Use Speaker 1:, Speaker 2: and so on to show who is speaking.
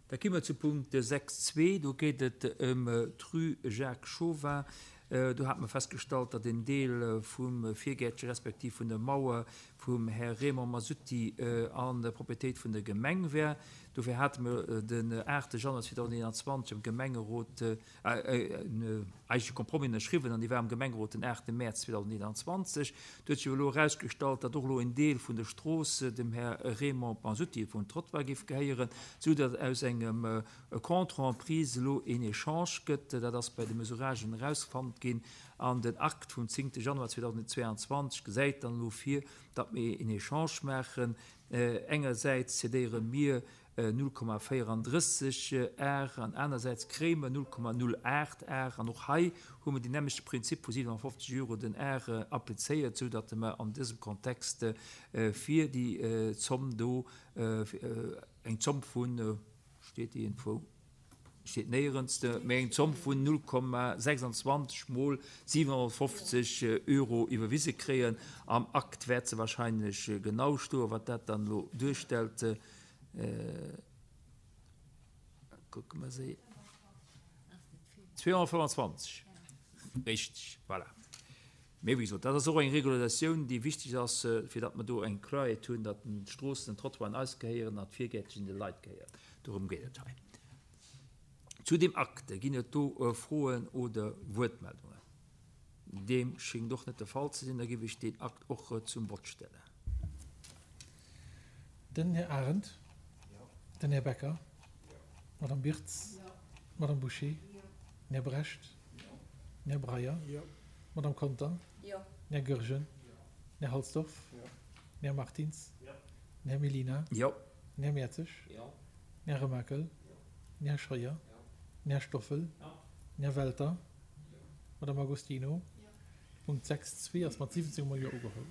Speaker 1: Da gi mer zu Punkt 6.2. Do geet et ëm d'Rue Jacques Chauvin. Do hate mer festgestallt, datt en Deel vum Virgäertche respektiv vun der Mauer vum Här Raymond Masutti an der Propriétéit vun der Gemeng wär. Dofir hate mer den 8 Januar 2021 am Gemengerot en eigentleche Compromis ënnerschriwwen an dee war am Gemengerot den 8 Mäerz 2021. Et huet sech awer elo erausgestallt, datt och elo en Deel vun der Strooss dem Här Raymond Masutti vum Trottoir géif gehéieren, sou datt aus engem Contrat en prise elo een Echange gëtt. Dat ass bei de Mesuragen erausfonnt ginn an den Akt vum 10 Januar 2022 gesäit dann elo vir, datt mir een Echange maachen. Engersäits cedéiere mir 0,34 Ar an anersäits kréie mer 0,08 Ar. An och hei hu mer deen nämmlechte Prinzip vu 57 Euro den Ar applizéiert, sou datt mer an dësem Kontext fir déi Zomm do eng Zomm vun, steet déi iergendwou? Steet néierens, mee eng Zomm vun 0,26 mol 750 Euro iwwerwise kréien. Am Akt wäert se wahrscheinlech genau stoen, wat dat dann elo duerstellt. Kucke mer se. 225, richteg, voilà. Mee wéi gesot, dat ass och eng Regularisatioun, déi wichteg ass, fir datt mer do eng Kloerheet hunn, datt d'Stroossen an d'Trottoiren eis gehéieren an d'Virgäertchen de Leit gehéieren. Dorëm geet et hei. Zu deem Acte, ginn et do Froen oder Wuertmeldungen? Deem schéngt och net de Fall ze sinn. Da géif ech deen Akt och zum Vott stellen.
Speaker 2: Den Här Arendt. Den Här Becker. D'Madame Birtz. D'Madame Bouché. Den Här Brecht. Den Här Breyer. D'Madame Conter. Den Här Goergen. Den Här Halsdorf. Den Här Martins. Den Här Mellina. Den Här Mertzig. Den Här Remakel. Den Här Scheuer. Den Här Stoffel. Den Här Welter. D'Madame Agostino. Punkt 6, 2 ass mat 17 mol Jo ugeholl.